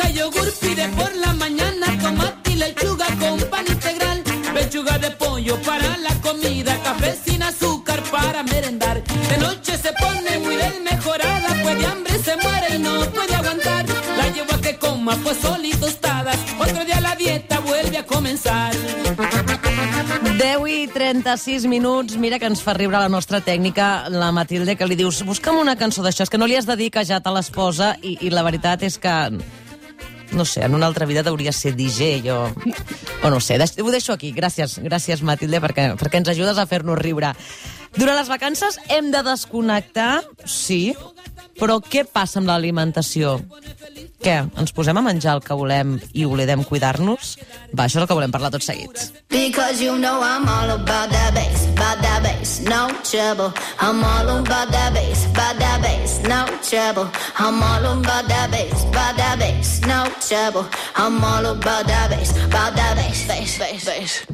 y yogur, pide por la mañana tomate y lechuga con pan integral, pechuga de pollo para la comida, café sin azúcar para merendar. De noche se pone muy desmejorada, pues de hambre se muere y no puede aguantar. La llevo a que coma pues sol y tostadas, otro día la dieta vuelve a comenzar. 10:36 minuts. Mira que ens fa riure la nostra tècnica, la Matilde, que li dius, busca'm una cançó d'això, és que no li has de dir que ja te les posa, i la veritat és que, no sé, en una altra vida hauria ser DJ o no sé, ho deixo aquí. Gràcies Matilde, perquè ens ajudes a fer-nos riure. Durant les vacances hem de desconnectar, sí, però què passa amb l'alimentació? Què? Ens posem a menjar el que volem i oblidem cuidar-nos? Va, això és el que volem parlar tot seguit. Because you know I'm all about that bass, no trouble. I'm all about that bass, no trouble. I'm all about that bass, no trouble. I'm all about that bass, bass.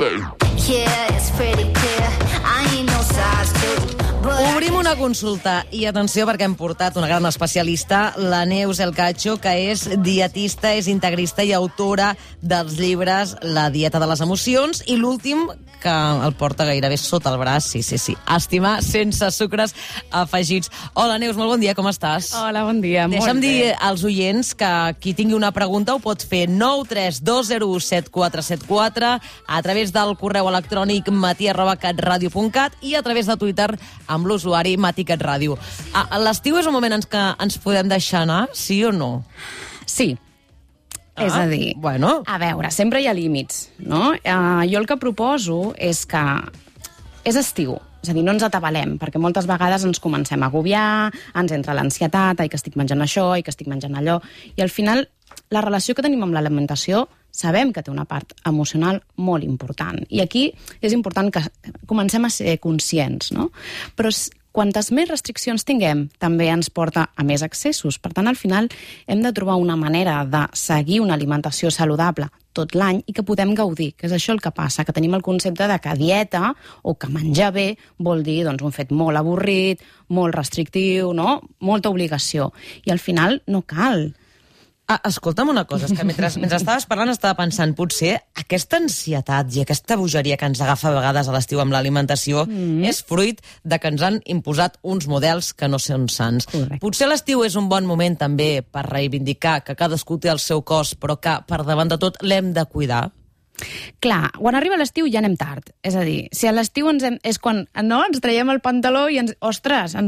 Yeah, it's pretty clear, I ain't no size two. Obrim una consulta i atenció perquè hem portat una gran especialista, la Neus El Cacho, que és dietista, és integrista i autora dels llibres La dieta de les emocions i l'últim que el porta gairebé sota el braç, sí. Estimar sense sucres afegits. Hola Neus, molt bon dia, com estàs? Hola, bon dia, molt bé. Deixa'm dir als oients que qui tingui una pregunta ho pot fer 932017474 a través del correu electrònic matí@catradio.cat i a través de Twitter amb l'usuari maticatradio. L'estiu és un moment en què ens podem deixar anar, sí o no? Sí. És a dir, bueno. A veure, sempre hi ha límits, no? Jo el que proposo és que és estiu, és a dir, no ens atabalem, perquè moltes vegades ens comencem a agobiar, ens entra l'ansietat, ai, que estic menjant això, ai, que estic menjant allò, i al final la relació que tenim amb l'alimentació sabem que té una part emocional molt important. I aquí és important que comencem a ser conscients, no? Però quantes més restriccions tinguem, també ens porta a més excessos. Per tant, al final, hem de trobar una manera de seguir una alimentació saludable tot l'any i que podem gaudir, que és això el que passa, que tenim el concepte de que dieta o que menjar bé vol dir doncs, un fet molt avorrit, molt restrictiu, no? Molta obligació. I al final no cal. Escolta'm una cosa, és que mentre estaves parlant estava pensant, potser aquesta ansietat i aquesta bogeria que ens agafa a vegades a l'estiu amb l'alimentació és fruit de que ens han imposat uns models que no són sants. Correcte. Potser l'estiu és un bon moment també per reivindicar que cadascú té el seu cos, però que per davant de tot l'hem de cuidar. Clar, quan arriba l'estiu ja anem tard. És a dir, si a l'estiu és quan ens traiem el pantaló i ens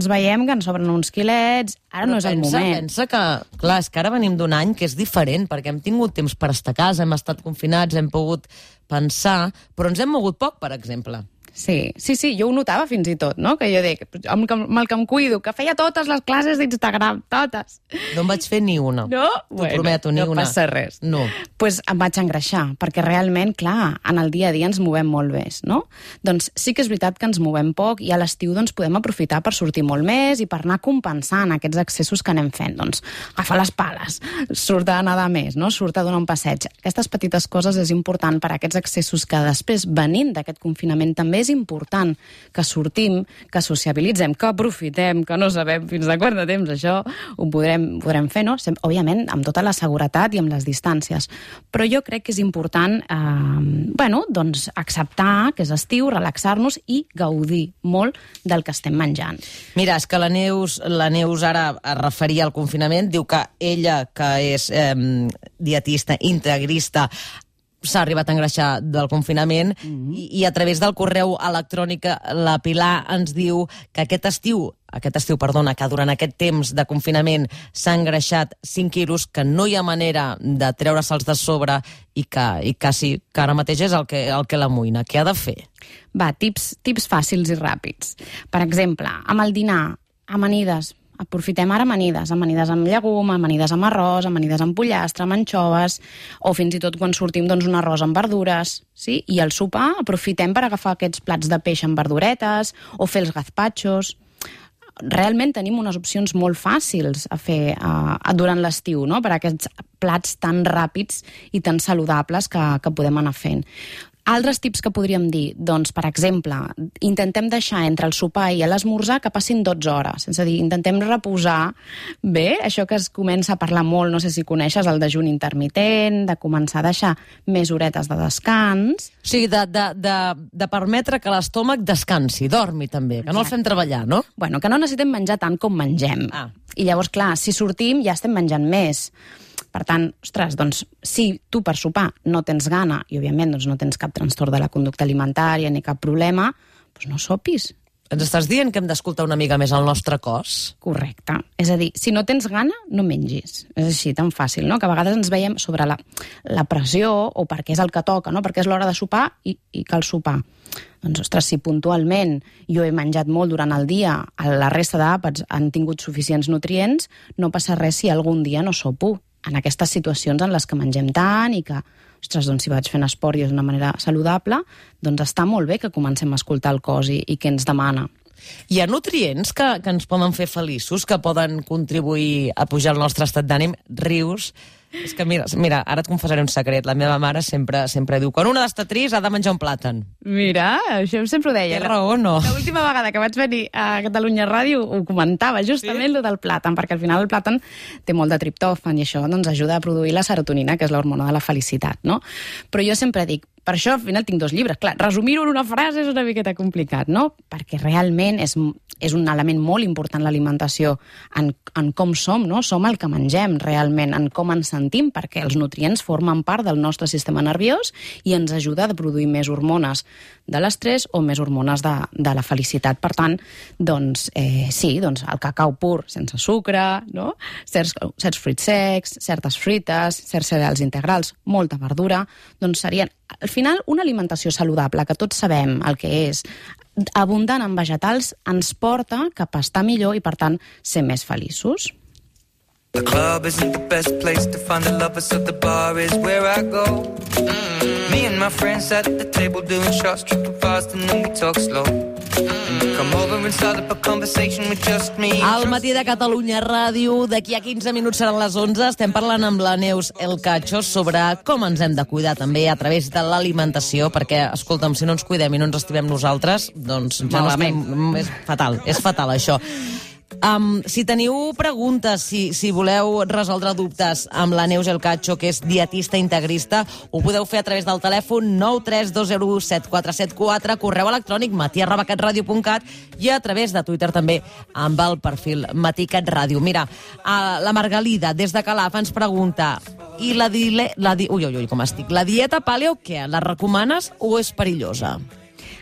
veiem que ens sobren uns quilets, ara no és el moment. Pensa que, clar, és que ara venim d'un any que és diferent, perquè hem tingut temps per estar a casa, hem estat confinats, hem pogut pensar, però ens hem mogut poc, per exemple. Sí, jo ho notava fins i tot, no? Que jo dic, amb el que em cuido, que feia totes les classes d'Instagram, totes. No en vaig fer ni una. No? T'ho prometo, ni una. No passa res. No. Pues em vaig engreixar, perquè realment, clar, en el dia a dia ens movem molt més, no? Doncs sí que és veritat que ens movem poc i a l'estiu doncs, podem aprofitar per sortir molt més i per anar compensant aquests excessos que anem fent. Doncs agafar les pales, surt a nedar més, no? Surt a donar un passeig. Aquestes petites coses és important per a aquests excessos que després, venint d'aquest confinament, també és important que sortim, que sociabilitzem, que aprofitem, que no sabem fins a quant de temps això ho podrem fer, no? Òbviament, amb tota la seguretat i amb les distàncies. Però jo crec que és important doncs acceptar que és estiu, relaxar-nos i gaudir molt del que estem menjant. Mira, és que la Neus ara es referia al confinament, diu que ella, que és dietista, integrista, s'ha arribat a engreixar del confinament i a través del correu electrònic la Pilar ens diu que aquest estiu, que durant aquest temps de confinament s'ha engreixat 5 quilos, que no hi ha manera de treure-se'ls de sobre i que sí, que ara mateix és el que l'amoïna. Què ha de fer? Va, tips fàcils i ràpids. Per exemple, amb el dinar, amanides. Aprofitem ara amanides amb llegum, amanides amb arròs, amanides amb pollastre, amb anxoves, o fins i tot quan sortim doncs, un arròs amb verdures. Sí? I al sopar aprofitem per agafar aquests plats de peix amb verduretes o fer els gazpachos. Realment tenim unes opcions molt fàcils a fer durant l'estiu, no? Per a aquests plats tan ràpids i tan saludables que podem anar fent. Altres tips que podríem dir, doncs, per exemple, intentem deixar entre el sopar i l'esmorzar que passin 12 hores. És a dir, intentem reposar bé, això que es comença a parlar molt, no sé si coneixes, el dejuni intermitent, de començar a deixar més horetes de descans. O sigui, de permetre que l'estómac descansi, dormi també, que no el fem treballar, no? Bueno, que no necessitem menjar tant com mengem. I llavors, clar, si sortim ja estem menjant més. Per tant, ostres, doncs, si tu per sopar no tens gana i, òbviament, doncs, no tens cap trastorn de la conducta alimentària ni cap problema, doncs no sopis. Ens estàs dient que hem d'escoltar una mica més el nostre cos? Correcte. És a dir, si no tens gana, no mengis. És així, tan fàcil, no? Que a vegades ens veiem sobre la pressió o perquè és el que toca, no? Perquè és l'hora de sopar i cal sopar. Doncs, ostres, si puntualment jo he menjat molt durant el dia, la resta d'àpats han tingut suficients nutrients, no passa res si algun dia no sopo. En aquestes situacions en les que mengem tant i que, ostres, doncs si vaig fent esport i és d'una manera saludable, doncs està molt bé que comencem a escoltar el cos i què ens demana. Hi ha nutrients que ens poden fer feliços, que poden contribuir a pujar el nostre estat d'ànim? Rius? És que mira, ara et confessaré un secret. La meva mare sempre diu, quan una està trist ha de menjar un plàtan. Mira, això sempre ho deia. Té raó, no? L'última vegada que vaig venir a Catalunya Ràdio ho comentava, justament lo del plàtan, perquè al final el plàtan té molt de triptòfan i això doncs, ajuda a produir la serotonina, que és l'hormona de la felicitat, no? Però jo sempre dic, per això al final tinc 2 llibres. Clar, resumir-ho en una frase és una miqueta complicat, no? Perquè realment és un element molt important l'alimentació en com som, no? Som el que mengem realment, en com ens sentim, perquè els nutrients formen part del nostre sistema nerviós i ens ajuda a produir més hormones de l'estrès o més hormones de la felicitat. Per tant, doncs, sí, doncs el cacau pur sense sucre, no? Certs fruits secs, certes fruites, certs cereals integrals, molta verdura, doncs serien, al final, una alimentació saludable, que tots sabem el que és, abundant en vegetals, ens porta cap a estar millor i, per tant, ser més feliços. The club isn't the best place to find the lovers, so the bar is where I go. Me and my friends at the table doing shots, tripping fast and then we talk slow. Come over and start up a conversation with just me. Al matí de Catalunya Ràdio, d'aquí a 15 minuts seran les 11, estem parlant amb la Neus El Cacho sobre com ens hem de cuidar també a través de l'alimentació, perquè, escolta'm, si no ens cuidem i no ens estimem nosaltres, doncs ja no estem... És fatal això. Si teniu preguntes, si voleu resoldre dubtes amb la Neus El Cacho, que és dietista integrista, ho podeu fer a través del telèfon 932017474, correu electrònic matí@catradio.cat i a través de Twitter també amb el perfil Matí-Cat-Ràdio. Mira, la Margalida, des de Calaf, ens pregunta, i la dieta paleo, què? La recomanes o és perillosa?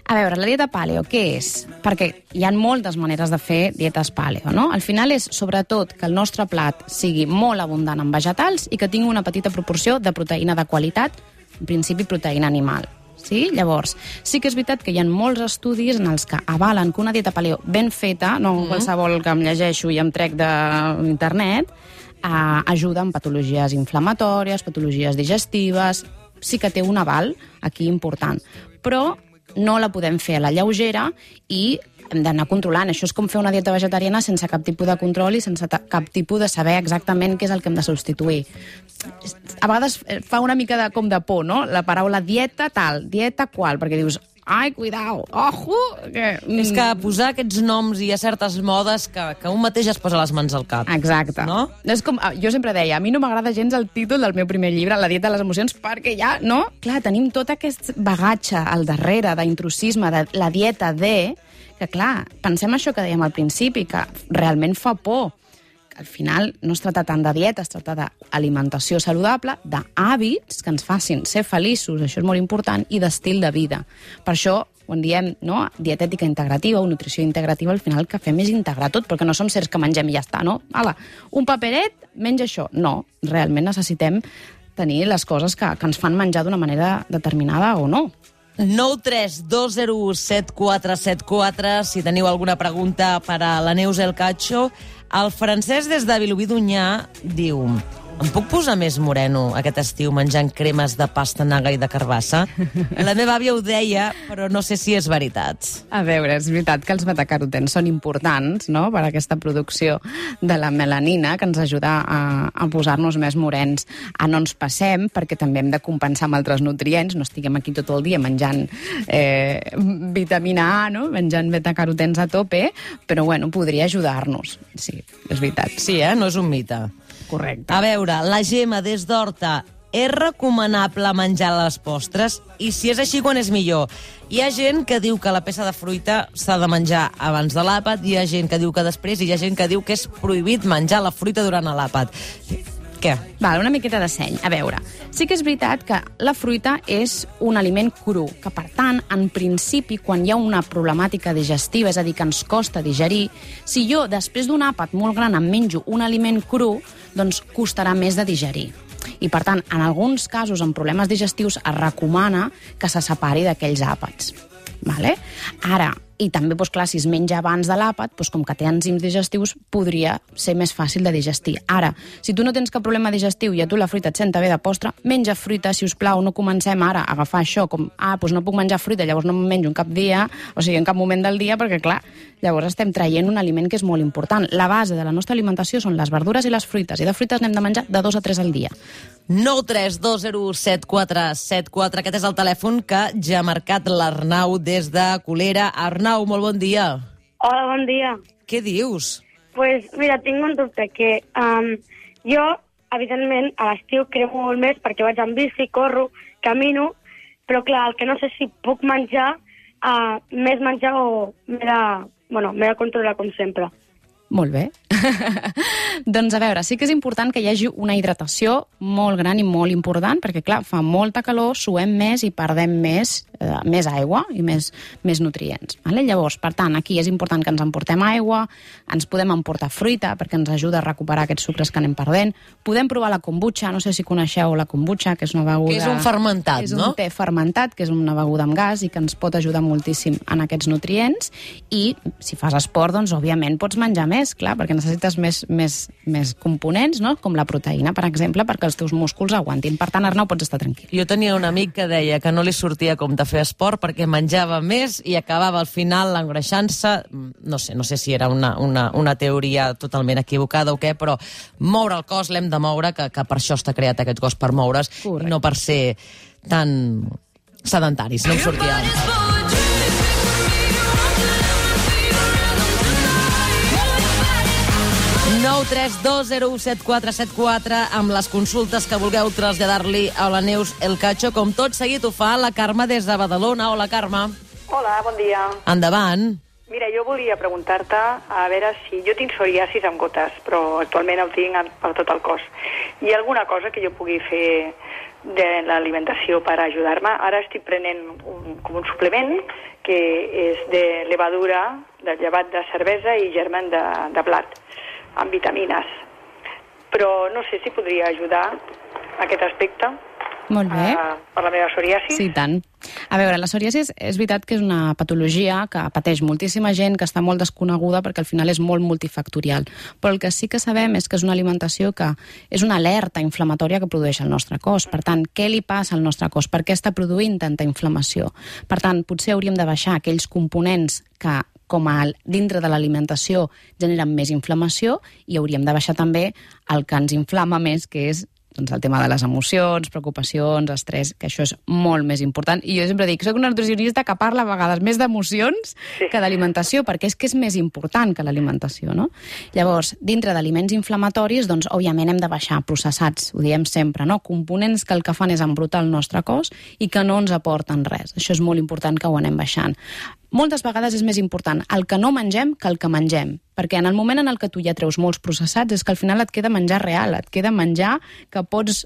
A veure, la dieta paleo, què és? Perquè hi ha moltes maneres de fer dietes paleo, no? Al final és, sobretot, que el nostre plat sigui molt abundant en vegetals i que tingui una petita proporció de proteïna de qualitat, en principi proteïna animal. Sí? Llavors, sí que és veritat que hi ha molts estudis en els que avalen que una dieta paleo ben feta, no qualsevol que em llegeixo i em trec d'internet, ajuda en patologies inflamatòries, patologies digestives, sí que té un aval aquí important. Però no la podem fer a la lleugera i hem d'anar controlant. Això és com fer una dieta vegetariana sense cap tipus de control i sense cap tipus de saber exactament què és el que hem de substituir. A vegades fa una mica com de por, no? La paraula dieta tal, dieta qual, perquè dius, ai, cuidao, ojo! És que posar aquests noms i a certes modes que un mateix es posa les mans al cap. Exacte. No? És com, jo sempre deia, a mi no m'agrada gens el títol del meu primer llibre, La dieta de les emocions, perquè ja, no? Clar, tenim tot aquest bagatge al darrere d'intrusisme, de la dieta que clar, pensem això que dèiem al principi, que realment fa por. Al final no es tracta tant de dieta, es tracta d'alimentació saludable, d'hàbits que ens facin ser feliços, això és molt important, i d'estil de vida. Per això, quan diem dietètica integrativa o nutrició integrativa, al final el que fem és integrar tot, perquè no som certs que mengem i ja està, no? Ala, un paperet, menja això. No, realment necessitem tenir les coses que ens fan menjar d'una manera determinada o no. 932017474, si teniu alguna pregunta per a la Neus El Cacho. El Francesc, des de Vilobí d'Onyar, diu: Em puc posar més moreno aquest estiu menjant cremes de pastanaga i de carbassa? La meva àvia ho deia, però no sé si és veritat. A veure, és veritat que els betacarotens són importants, no?, per a aquesta producció de la melanina, que ens ajuda a posar-nos més morens. No ens passem, perquè també hem de compensar amb altres nutrients, no estiguem aquí tot el dia menjant vitamina A, no?, menjant betacarotens a tope, però bueno, podria ajudar-nos. Sí, és veritat. Sí, no és un mite. Correcte. A veure, la Gemma des d'Horta, és recomanable menjar les postres? I si és així, quan és millor? Hi ha gent que diu que la peça de fruita s'ha de menjar abans de l'àpat, hi ha gent que diu que després, i hi ha gent que diu que és prohibit menjar la fruita durant l'àpat. Què? Val, una miqueta de seny. A veure, sí que és veritat que la fruita és un aliment cru, que per tant, en principi, quan hi ha una problemàtica digestiva, és a dir, que ens costa digerir, si jo, després d'un àpat molt gran, em menjo un aliment cru, doncs costarà més de digerir. I, per tant, en alguns casos, amb problemes digestius, es recomana que se separi d'aquells àpats. Vale? Ara, i també, doncs, clar, si es menja abans de l'àpat, doncs, com que té enzims digestius, podria ser més fàcil de digestir. Ara, si tu no tens cap problema digestiu i a tu la fruita et senta bé de postre, menja fruita, si us plau, no comencem ara a agafar això com, doncs no puc menjar fruita, llavors no me'n menjo en cap dia, o sigui, en cap moment del dia, perquè, clar, llavors estem traient un aliment que és molt important. La base de la nostra alimentació són les verdures i les fruites, i de fruites n'hem de menjar de 2 a 3 al dia. 932017474. Aquest és el telèfon que ja ha marcat l'Arnau des de Colera. Arnau, molt bon dia. Hola, bon dia. Què dius? Pues mira, tinc un dubte, que jo, evidentment, a l'estiu cremo molt més perquè vaig en bici, corro, camino, però clar, el que no sé si puc menjar més menjar o m'he de controlar com sempre. Molt bé. Doncs a veure, sí que és important que hi hagi una hidratació molt gran i molt important, perquè clar, fa molta calor, suem més i perdem més aigua i més nutrients. Vale? Llavors, per tant, aquí és important que ens emportem aigua, ens podem emportar fruita perquè ens ajuda a recuperar aquests sucres que anem perdent. Podem provar la kombucha, no sé si coneixeu la kombucha, que és una beguda... Que és un fermentat, no? És un te té fermentat, que és una beguda amb gas i que ens pot ajudar moltíssim en aquests nutrients. I si fas esport, doncs, òbviament, pots menjar més, clar, perquè necessites més components, no?, com la proteïna, per exemple, perquè els teus músculs aguantin. Per tant, Arnau, pots estar tranquil. Jo tenia un amic que deia que no li sortia com de fer esport perquè menjava més i acabava al final engreixant-se. No sé si era una teoria totalment equivocada o què, però moure el cos l'hem de moure, que per això està creat aquest cos, per moure's, i no per ser tan sedentaris. No em sortia. 932017474 amb les consultes que vulgueu traslladar-li a la Neus El Cacho. Com tot seguit ho fa la Carme des de Badalona. Hola, Carme. Hola, bon dia. Endavant. Mira, jo volia preguntar-te a veure si... Jo tinc psoriasis amb gotes, però actualment el tinc per tot el cos. Hi ha alguna cosa que jo pugui fer de l'alimentació per ajudar-me? Ara estic prenent com un suplement que és de levadura, de llevat de cervesa i germen de blat, amb vitamines. Però no sé si podria ajudar aquest aspecte. Molt bé. Per la meva psoriasis. Sí, tant. A veure, la psoriasis és veritat que és una patologia que pateix moltíssima gent, que està molt desconeguda perquè al final és molt multifactorial. Però el que sí que sabem és que és una alimentació que és una alerta inflamatòria que produeix el nostre cos. Per tant, què li passa al nostre cos? Per què està produint tanta inflamació? Per tant, potser hauríem de baixar aquells components que dintre de l'alimentació generen més inflamació, i hauríem de baixar també el que ens inflama més, que és el tema de les emocions, preocupacions, estrès, que això és molt més important. I jo sempre dic, soc una nutricionista que parla a vegades més d'emocions que d'alimentació, perquè és que és més important que l'alimentació, no? Llavors, dintre d'aliments inflamatoris, doncs, òbviament hem de baixar processats, ho diem sempre, no? Components que el que fan és embrutar el nostre cos i que no ens aporten res. Això és molt important que ho anem baixant. Moltes vegades és més important el que no mengem que el que mengem, perquè en el moment en el que tu ja treus molts processats és que al final et queda menjar real, et queda menjar que pots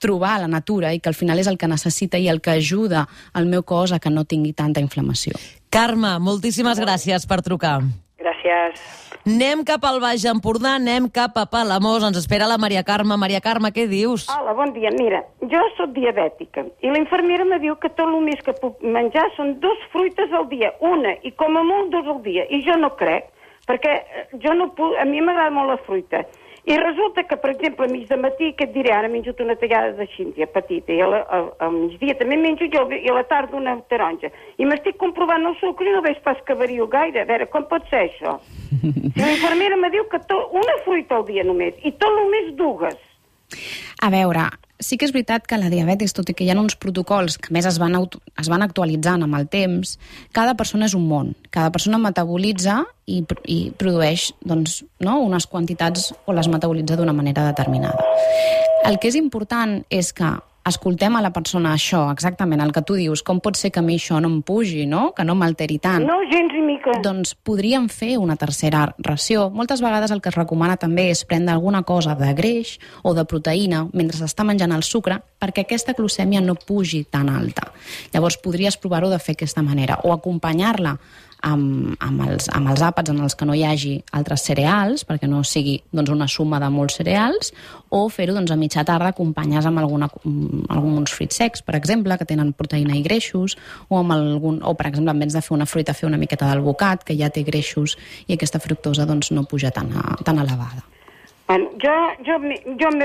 trobar a la natura i que al final és el que necessita i el que ajuda al meu cos a que no tingui tanta inflamació. Carme, moltíssimes gràcies per trucar. Gràcies. Anem cap al Baix Empordà, anem cap a Palamós. Ens espera la Maria Carme. Maria Carme, què dius? Hola, bon dia. Mira, jo sóc diabètica i la infermera me diu que tot el més que puc menjar són 2 fruites al dia, una, i com a molt 2 al dia. I jo no crec, perquè jo no puc, a mi m'agrada molt la fruita. I resulta que, per exemple, a mig de matí, que et diré, ara menjo una tallada de xíntia petita, i al migdia també menjo jo, i a la tarda una taronja. I m'estic comprovant el sucre i no veig pas que vario gaire. A veure, com pot ser això? Si l'infermera me diu que una fruita al dia només, i tot només dues. A veure, sí que és veritat que la diabetis, tot i que hi ha uns protocols que més es van actualitzant amb el temps, cada persona és un món. Cada persona metabolitza i produeix doncs, no, unes quantitats o les metabolitza d'una manera determinada. El que és important és que escoltem a la persona això, exactament el que tu dius, com pot ser que a mi això no em pugi, no? Que no m'alteri tant. No, gens ni mica. Doncs podríem fer una tercera ració. Moltes vegades el que es recomana també és prendre alguna cosa de greix o de proteïna mentre s'està menjant el sucre perquè aquesta glucèmia no pugi tan alta. Llavors podries provar-ho de fer d'aquesta manera o acompanyar-la amb els àpats en els que no hi hagi altres cereals, perquè no sigui doncs, una suma de molts cereals, o fer-ho doncs, a mitja tarda acompanyats amb alguns fruits secs, per exemple, que tenen proteïna i greixos, o per exemple, en vez de fer una fruita, fer una miqueta d'alvocat, que ja té greixos, i aquesta fructosa doncs, no puja tan elevada. Bueno, jo,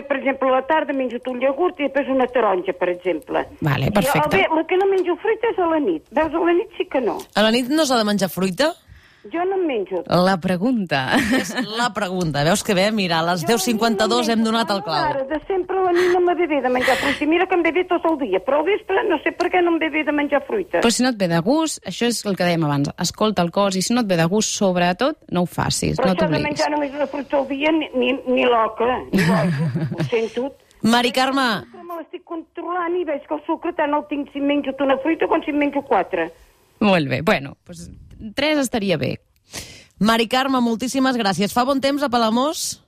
per exemple, a la tarda menjo un iogurt i després una taronja, per exemple. Vale, perfecte. El que no menjo fruita és a la nit. Veus, a la nit sí que no. A la nit no s'ha de menjar fruita? Jo no en menjo. La pregunta. És la pregunta. Veus que bé? Mira, a les 10:52 hem donat el clau. Ara, de sempre a la nit no m'ha bé de menjar fruita. Mira que em ve bé tot el dia, però al vespre no sé per què no em ve bé de menjar fruita. Però si no et ve de gust, això és el que dèiem abans, escolta el cos, i si no et ve de gust, sobretot, no ho facis, però no t'obliguis. Però això de menjar només una fruita al dia, ni l'oca, ni l'oca, ho sento. Mari Carme. Me l'estic controlant i veig que el sucre tant el tinc si em menjo una fruita com si em menjo 4. Molt bé, bueno, doncs 3 estaria bé. Mari Carme, moltíssimes gràcies. Fa bon temps a Palamós?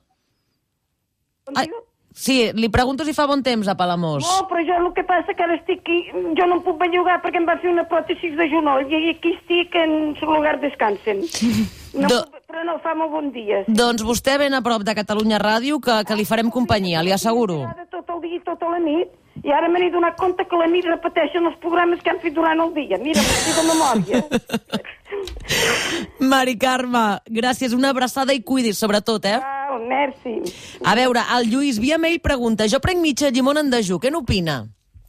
Sí, li pregunto si fa bon temps a Palamós. No, però jo el que passa que ara estic aquí, jo no em puc bellugar perquè em va fer una pròtesi de genoll i aquí estic en su lugar descansen. Però no, fa molt bon dia. Doncs vostè ben a prop de Catalunya Ràdio que li farem companyia, li asseguro. Tot el dia i tota la nit. I ara me n'he donat compte que la nit repeteixen els programes que han fet durant el dia. Mira, m'estic de memòria. Mari Carme, gràcies, una abraçada i cuidis, sobretot, eh? Merci. A veure, el Lluís via mail pregunta, jo prenc mitja llimona en dejú, què n'opina?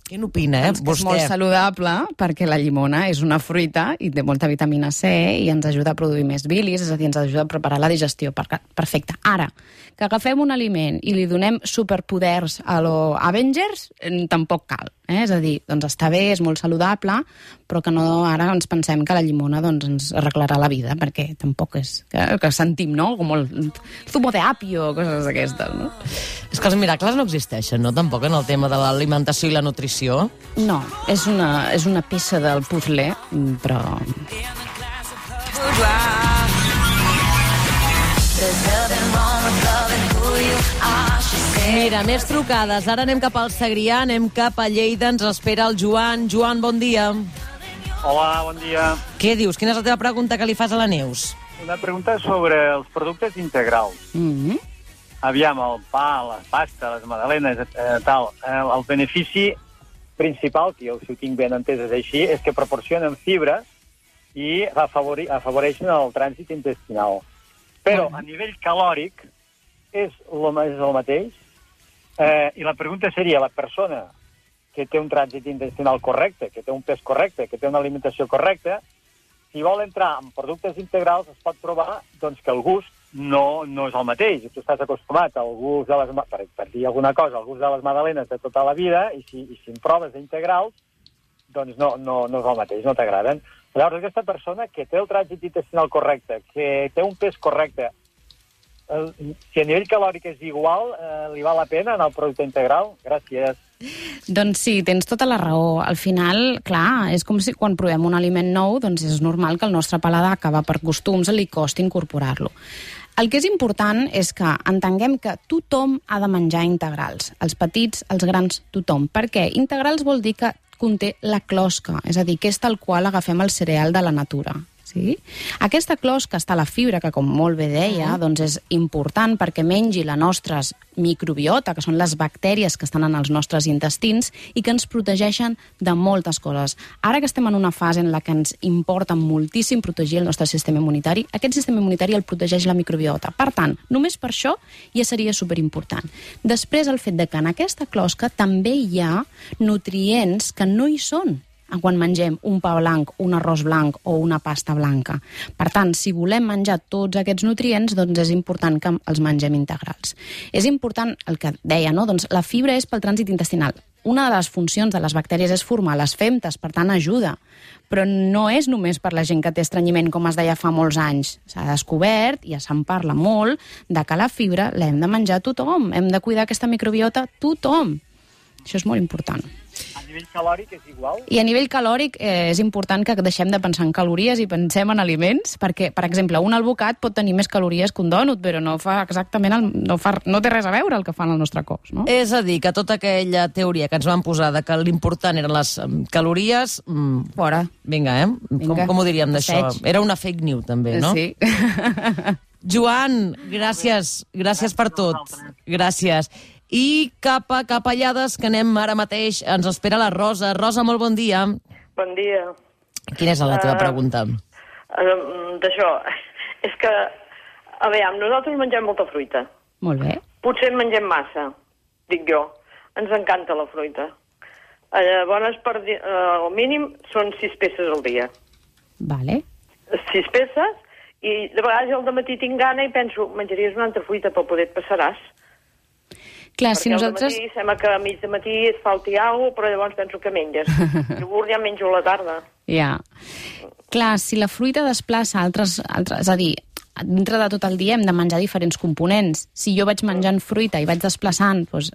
Què n'opina, Doncs que és molt saludable, perquè la llimona és una fruita i té molta vitamina C i ens ajuda a produir més bilis, és a dir, ens ajuda a preparar la digestió. Perfecte. Ara, que agafem un aliment i li donem superpoders a lo Avengers, tampoc cal. És a dir, doncs està bé, és molt saludable, però que no ara ens pensem que la llimona doncs, ens arreglarà la vida, perquè tampoc és que sentim, no? Com el zumo de apio, coses d'aquestes, no? És que els miracles no existeixen, no? Tampoc en el tema de l'alimentació i la nutrició. No, és una peça del puzzle, però... Mira, més trucades. Ara anem cap al Segrià, anem cap a Lleida. Ens espera el Joan. Joan, bon dia. Hola, bon dia. Què dius? Quina és la teva pregunta que li fas a la Neus? Una pregunta sobre els productes integrals. Aviam, el pa, la pasta, les magdalenes, tal. El benefici principal, que jo si ho tinc ben entès és així, és que proporcionen fibra i afavoreixen el trànsit intestinal. Però a nivell calòric és el mateix. I la pregunta seria, la persona que té un trànsit intestinal correcte, que té un pes correcte, que té una alimentació correcta, si vol entrar en productes integrals es pot trobar doncs, que el gust no és el mateix. Tu estàs acostumat al gust de les... Per dir alguna cosa, al gust de les magdalenes de tota la vida, i si en proves d'integrals, doncs no és el mateix, no t'agraden. Llavors, aquesta persona que té el trànsit intestinal correcte, que té un pes correcte, si a nivell calòric és igual, li val la pena anar al producte integral? Gràcies. Doncs sí, tens tota la raó. Al final, clar, és com si quan provem un aliment nou, doncs és normal que el nostre paladar, que va per costums, li costi incorporar-lo. El que és important és que entenguem que tothom ha de menjar integrals. Els petits, els grans, tothom. Per què? Integrals vol dir que conté la closca, és a dir, que és tal qual agafem el cereal de la natura. Sí? Aquesta closca està a la fibra, que com molt bé deia, doncs és important perquè mengi la nostra microbiota, que són les bactèries que estan en els nostres intestins i que ens protegeixen de moltes coses. Ara que estem en una fase en la que ens importa moltíssim protegir el nostre sistema immunitari, aquest sistema immunitari el protegeix la microbiota. Per tant, només per això ja seria superimportant. Després, el fet de que en aquesta closca també hi ha nutrients que no hi són quan mengem un pa blanc, un arròs blanc o una pasta blanca. Per tant, si volem menjar tots aquests nutrients, doncs és important que els mengem integrals. És important el que deia, no? Doncs la fibra és pel trànsit intestinal. Una de les funcions de les bactèries és formar les femtes, per tant ajuda. Però no és només per la gent que té estrenyiment, com es deia fa molts anys. S'ha descobert, i ja se'n parla molt, de que la fibra l'hem de menjar tothom. Hem de cuidar aquesta microbiota tothom. Això és molt important. A nivell calòric és igual? I a nivell calòric és important que deixem de pensar en calories i pensem en aliments, perquè, per exemple, un albocat pot tenir més calories que un dònut, però no fa exactament no té res a veure el que fan al nostre cos, no? És a dir, que tota aquella teoria que ens van posar de que l'important eren les calories... Fora. Vinga, com ho diríem d'això? Era una fake news, també, no? Sí. Joan, gràcies per tot. Gràcies. I cap a Capellades, que anem ara mateix, ens espera la Rosa. Rosa, molt bon dia. Bon dia. Quina és la teva pregunta? D'això, és que, a veure, nosaltres mengem molta fruita. Molt bé. Potser en mengem massa, dic jo. Ens encanta la fruita. Llavors, al mínim, són 6 peces al dia. Vale. 6 peces, i de vegades al dematí tinc gana i penso, menjaries una altra fruita per poder et passaràs. Clar, perquè si nosaltres... al matí sembla que a mig de matí et falti alguna cosa, però llavors penso que menges. Iogurt ja menjo a la tarda. Ja. Clar, si la fruita desplaça altres... És a dir, dintre de tot el dia hem de menjar diferents components. Si jo vaig menjant fruita i vaig desplaçant doncs,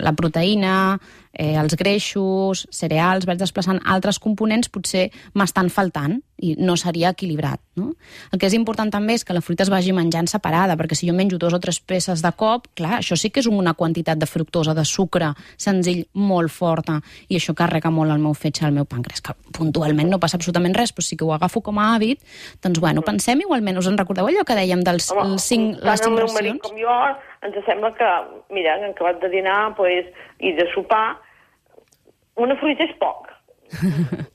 la proteïna, els greixos, cereals, vaig desplaçant altres components, potser m'estan faltant i no seria equilibrat. No? El que és important també és que la fruita es vagi menjant separada, perquè si jo menjo 2 o 3 peces de cop, clar, això sí que és una quantitat de fructosa, de sucre senzill molt forta, i això carrega molt el meu fetge, el meu pàncreas, que puntualment no passa absolutament res, però sí que ho agafo com a hàbit, doncs bueno, pensem igualment, us en recordeu allò que dèiem dels les 5 racions? El meu marit com jo ens sembla que, mira, en acabat de dinar i de sopar, una fruita és poc.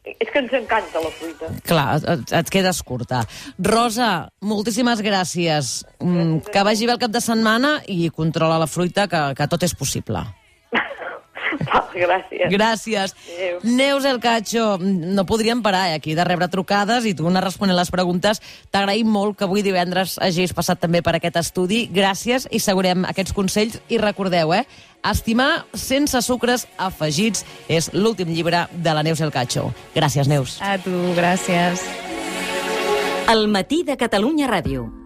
És que ens encanta la fruita. Clar, et quedes curta. Rosa, moltíssimes gràcies. Que vagi bé el cap de setmana i controla la fruita, que tot és possible. Gràcies. Gràcies. Adéu. Neus El Cacho, no podríem parar aquí de rebre trucades i tu anar responent les preguntes. T'agraïm molt que avui divendres hagis passat també per aquest estudi. Gràcies i segurem aquests consells. I recordeu, Estimar sense sucres afegits és l'últim llibre de la Neus El Cacho. Gràcies, Neus. A tu, gràcies. El matí de Catalunya Ràdio.